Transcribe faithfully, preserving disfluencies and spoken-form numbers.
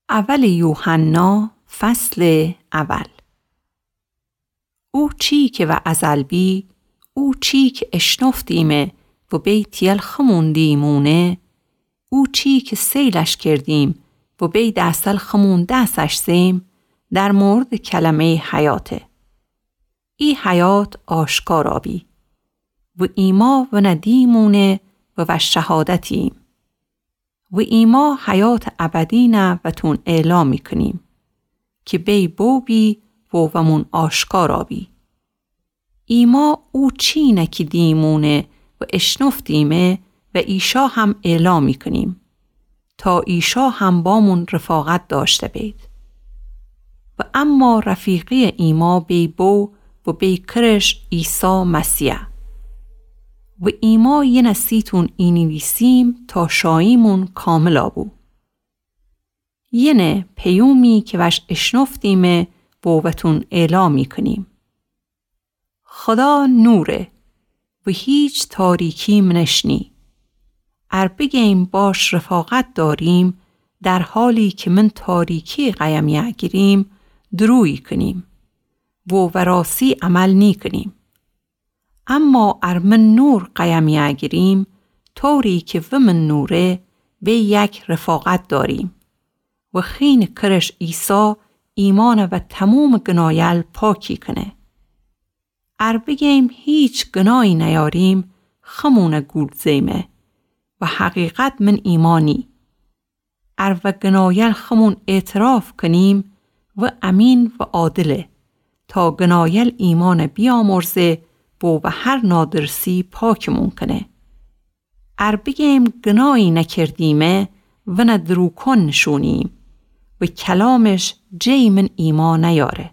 اول یوحنا، فصل اول. او چی کی و ازل بی، او چی کی اشنفتیمه و بی تیل خمون دیمونه، او چی کی سیلش کردیم و بی دستل خمون دسش زیم، در مورد کلمهٔ حیاته. ای حیات آشکارا بی و ایما ونه دیمونه و وش شهادتیم. و ایما حیات ابدینه وتون اعلام می‌کنیم کی بی بو بی و ومون آشکارا بی. ایما او چینه کی دیمونه و اشنفتیمه و ایشا هم اعلام می‌کنیم تا ایشا هم بامون رفاقت داشته بید. و اما رفیقی ایما بی بو و بی کرش عیسی مسیحه. و ایما ینه سیتون اینیویسیم تا شاییمون کاملا بو. ینه پیومی کی وش اشنفتیمه و وتون اعلام می‌کنیم. خدا نوره و هیچ تاریکی منش نی. ار بگیم باش رفاقت داریم، در حالی کی من تاریکی قیم یأگیریم، درویی کنیم و وراسی عمل نیکنیم. اما ار من نور قیم یأگیریم، طوری کی ومن نوره، وی یک رفاقت داریم. و خین کرش عیسی ایمانه و تموم گنایل پاکی کنه. ار بگیم هیچ گنایی نیاریم، خمونه گول زیمه و حقیقت من ایما نی. ار و گنایل خمون اعتراف کنیم، و امین و عادله تا گنایل ایمانه بیامرزه و و هر نادرسی پاکمون کنه. ار بگیم گنایی نکردیمه، ونه دروکون نشونیم و کلامش جی من ایما نیاره.